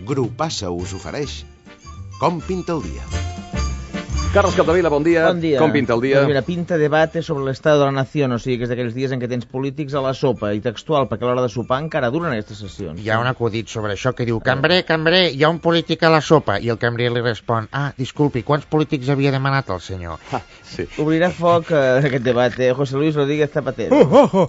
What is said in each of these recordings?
Grupassa us ofereix Com pinta el dia. Carlos Capdevila, bon dia. Bon dia. Com pinta el dia? Pues mira, pinta debate sobre l'estado de la nación, o sigui que és d'aquells dies en què tens polítics a la sopa, i textual, perquè a l'hora de sopar encara duren aquestes sessions. Hi ha un acudit sobre això que diu: cambrer, hi ha un polític a la sopa. I el cambrer li respon: disculpi, quants polítics havia demanat el senyor? Sí. Obrirà foc aquest debat, José Luis Rodríguez Zapatero.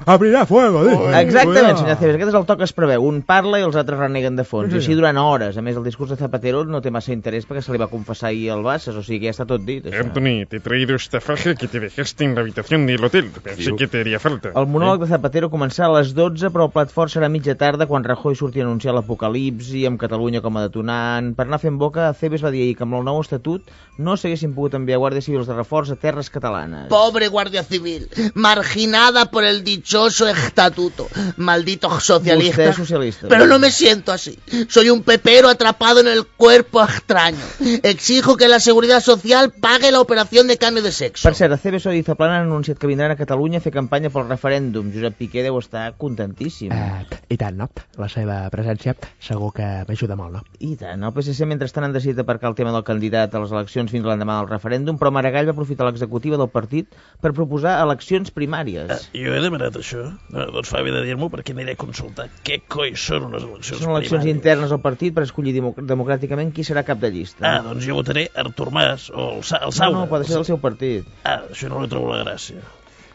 Abrirà fuego. Exactament, senyor Cebes, aquest és el to que es preveu. Un parla i els altres reneguen de fons, i així durant hores. A més, el discurs de Zapatero no té massa interès perquè se li va confessar ahir al Bassas, o sigui que ja està tot dit, això. Anthony, te he traído esta faja que te dejaste en la habitación del hotel. Pensé que te haría falta. El monòleg de Zapatero començarà a les 12, però el plat fort serà a mitja tarda quan Rajoy surti a anunciar l'apocalipsi, amb Catalunya com a detonant. Per anar fent boca, Cebes va dir ahir que amb el nou estatut no s'haguessin pogut enviar guàrdies civils de reforç a terres catalanes. Pobre Guardia Civil, marginada por el dichoso estatuto. Malditos socialistas. Usted es socialista. Pero no me siento así. Soy un pepero atrapado en el cuerpo extraño. Exijo que la Seguridad Social pague la operación de cambio de sexo. Per cert, Cebes i Zaplana han anunciat que vindran a Catalunya a fer campanya pel referèndum. Josep Piqué deu estar contentíssim. I tant, no? La seva presència segur que m'ajuda molt, no? I tant. El PSC mentrestant han decidit aparcar el tema del candidat a les eleccions fins l'endemà del referèndum, però Maragall va aprofitar l'executiva del partit per proposar eleccions primàries. Jo he demanat això. Doncs fa bé de dir-m'ho perquè aniré a consultar què coi són unes eleccions Són eleccions primàries. internes al partit per escollir democràticament qui serà cap de llista. Doncs jo votaré Artur Mas o el No, Saura. pot ser del seu partit. Això no li trobo la gràcia.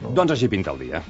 Doncs així pinta el dia.